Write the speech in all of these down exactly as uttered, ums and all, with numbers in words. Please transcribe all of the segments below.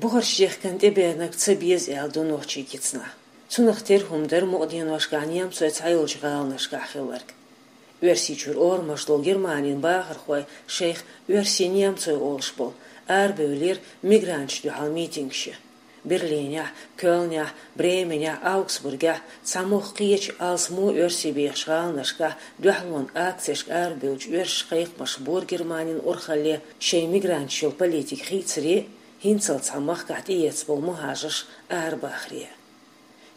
Бухарчу дехкан тӀебеанарг ца беза аьлла ду нохчийн кицанахь. Цунах тера хӀума дара мукъаденошкахь немцойн цхьайолчу гӀаланашкахь хилларг. Оьрсийчуьра орамаш долу Германин бахархой шайх оьрсий-немцой олуш болу арабевллера мигранташна дуьхьал митингаш ян. Берлинехь, Кёльнехь, Бременехь, Аугсбургехь цхьа муьлхха кхечу алсамо оьрсий бехачу гӀаланашкахь дуьхьалонан акцешка арабевллачу оьрсаша кхайкхамаш бора Германин урхалле шайн мигранташна йолу политика хийцаре, хӀинццалц цхьана махкахь тӀеэцна болу мухӀажарш арабахаре.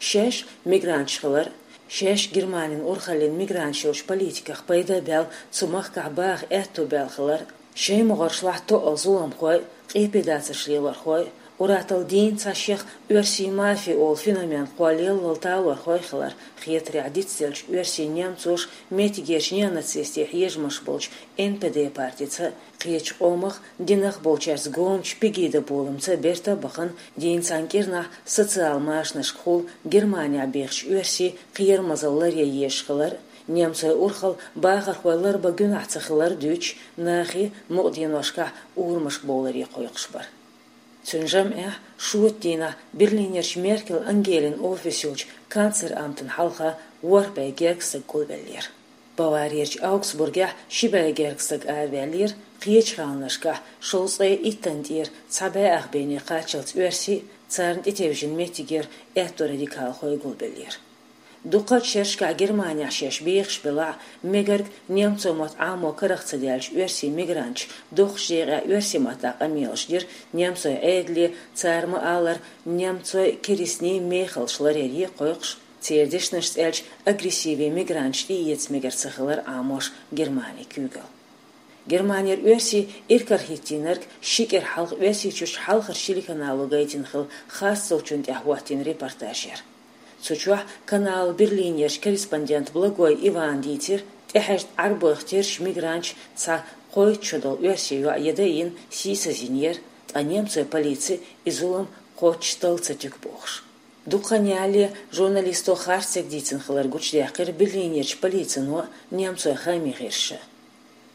Шаьш мигранташ хилар, шаьш Германин урхаллин мигранташ йолчу политиках пайда а баьлла, цу махкахь баха аьтто баьлла хилар, шайн могӀаршлахь тоъал зуламхой, къепедацарш лелорхой, ур-атталла дийна цхьа шех оьрсий мафия олу феномен кхоллаяллал талорхой хилар, хетарехь дицделлачу оьрсий-немцоша меттигерчу неонацистийн хьежамаш болчу Н П Д партица, кхечу къомах, динах болчаьрца гомачу Пегида боламца берта а бахана, дийна цхьана кӀирнахь социал машанашкахула Германехь бехачу оьрсийн кхерамазалла ларъян езаш хилар, немцойн урхалла бахархой ларбан гуьнахь ца хилар дуьйцуш, нахе мукъаденошкахь урамашка бовларе кхойкхуш бара. Цуьнан жамӀехь шота дийнахь Берлинерчу Меркель Ангелин офис йолчу канцлерамтан хьалха ворхӀ бӀе гергга стаг гулбеллера. Баварерчу Аугсбургехь ши бӀе гергга стаг араваьллера, кхечу гӀаланашкахь шовзткъе иттанна тӀера цхьа бӀе ах бене кхаччалц оьрсий, царна тӀетевжина меттигера аьтто радикалхой гулбеллера. Дуккха а шерашкахь Германехь шаьш бехаш белахь а, мегарг немцойн мотт Ӏамо карах ца даьллачу оьрсийн мигранташа доккхачу декъехь оьрсийн маттахь къамелаш дира немцойн Ӏедале, цара ма-аллара, немцойн керстнийн мехаллаш ларъяре кхойкхуш, церан дешнашца аьлча, агрессиве мигранташ тӀеэца мегар ца хилар Ӏамош Германин куьйгалла. Германера оьрсий иракарахӀиттийнарг ши кӀира хьалха Оьрсийчуьрчу хьалхарчу телеканало гайтина хилла харц долчунна тӀехь хӀоттийна репортаж яра. Цу чохь каналан Берлинерчу корреспондента Благой Ивана дийцира, тӀехьаьжна Ӏарбойх терча мигранташа цхьа кхойтта шо долу оьрсийн йоӀ яда а йина, сийсаз йинера, ткъа немцойн полици и зулам кхоччуш талла ца туьгу бохуш. Дукха хан ялале журналисто харц стеган дийцина хилар гучудаьккхира Берлинерчу полицино а, немцойн хаамийн гӀирсаша.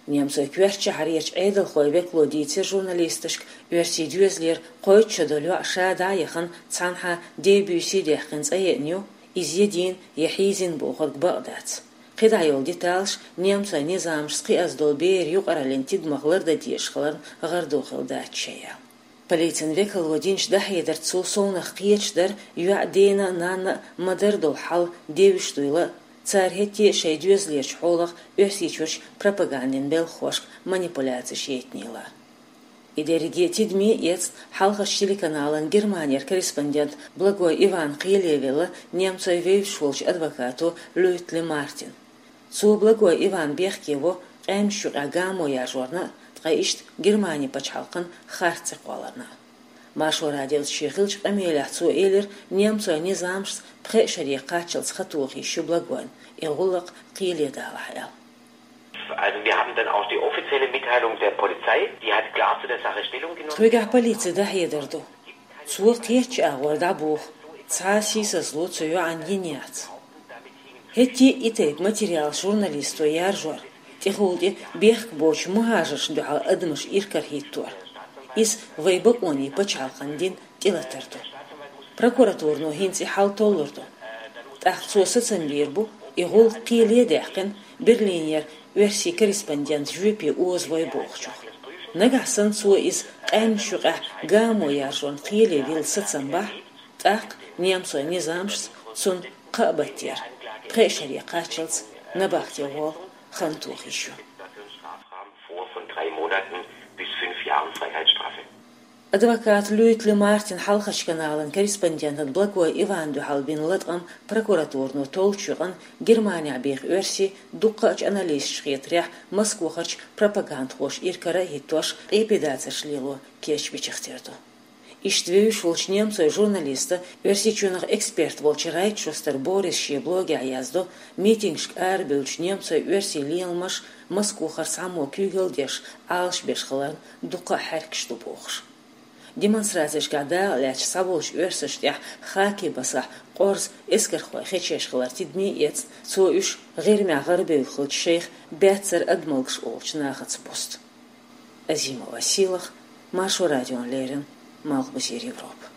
Немцойн коьртачу шахьарерчу Ӏедалхойн векало дийцира журналисташка, оьрсийн доьзалера кхойтта шо долу йоӀ ша дӀа а яхана, цхьанхьа дебуьйсий даьккхина цӀа еана ю, иза ядийна я хьийзийна бохург бакъ дац. КхидӀа йолу деталаш немцойн низамашца кхиаза долу берийн юкъараллин тидамах лардан дезаш хиларна гӀардо хилла дац шайн аьлла. Полицин векало динчу дӀахьедарца цо совнаха кхеташ дара, йоьӀан дена а, нанна а ма-дарра долу хьал девзаш дуйла а, цара хӀетте а шайн доьзалерчу хьолах Оьрсийчуьрчу пропагандин белхахошка манипуляцеш яйтинийла а. И дерриге тидаме а эцна, хьалхарчу телеканалан Германера корреспондент Благой Ивана кхеле велла немцойн вевзаш волчу адвокато Люйтли Мартин. Цо Благой Ивана бехке во къаьмнашна юкъахь гамо яржорна а, ткъа иштта Германин пачхьалкхана харц цӀе кхолларна а. Маршо радиоца шен хиллачу къамелехь цо элира, немцойн низамашца пхеа шаре кхаччалц хан тоха йиш ю Благойн, и гӀуллакх кхеле далахь аьлла. Also wir haben dann auch die offizielle Mitteilung der Polizei, die hat klar zu der Sache Stellung genommen. Тхоьгахь полицин дӀахьедар ду. Цо кхеччу агӀор дӀабоху, цхьа а сийсазло цу йоӀанна йина яц. ХӀетте а и тайпа материалаш журналисто яржор, тӀехула тӀе бехк боцчу мухӀажаршна дуьхьал адамаш иракарахӀиттор. Иза вайн бакъонийн пачхьалкхан дин тӀелатар ду. Прокуратурано хӀинца и хьал толлур ду. ТӀаккха цо сацам бийр бу, и гӀуллакх кхеле а даьккхина, Берлинера оьрсийн корреспондент жоьпе озавой бохучух. Нагахь санна цо иза къаьмнашна юкъахь гамо яржорна кхеле вилла сацам бахь, тӀаккха немцойн низамашца цунна кхаа баттера, пхеа шаре кхаччалц набахте гӀолла хан тоха йиш ю. Vor von drei Monaten bis fünf Jahren Freiheitsstrafe. Адвокат Люйтли Мартин хьалхарчу каналан корреспондентан Благой Ивана дуьхьал бина латкъам прокуратурано толлучу юкъанна Германехь беха оьрсий, дуккхачу аналисташна хетарехь, Москвахарчу пропагандхоша иракарахӀиттош, къепедацарш лело кечбичахтер ду. Иштта вевзаш волчу немцойн журналиста, Оьрсийчоьнах эксперт волчу Райтшустер Бориса шен блогехь яздо, митингашка арабевллачу немцойн-оьрсийн леламаша Москвахара цхьаммо куьйгалла деш, Ӏалашбеш хиларна дуккха а хьаьркаш ду бохуш. Демонстрацешкахь дакъа лаьцначу схьаволчу оьрсашна тӀехь хаккхий басахь къорза эскархой хечъеш хилар тидаме а эцна, цо уьш ГӀирмехь гӀарабевлла хиллачу шайх баьццара адамалгаш олучу нахаца бусту. Азимова Сийлаха, Маршо радиона леррина, Малхбузер Европа.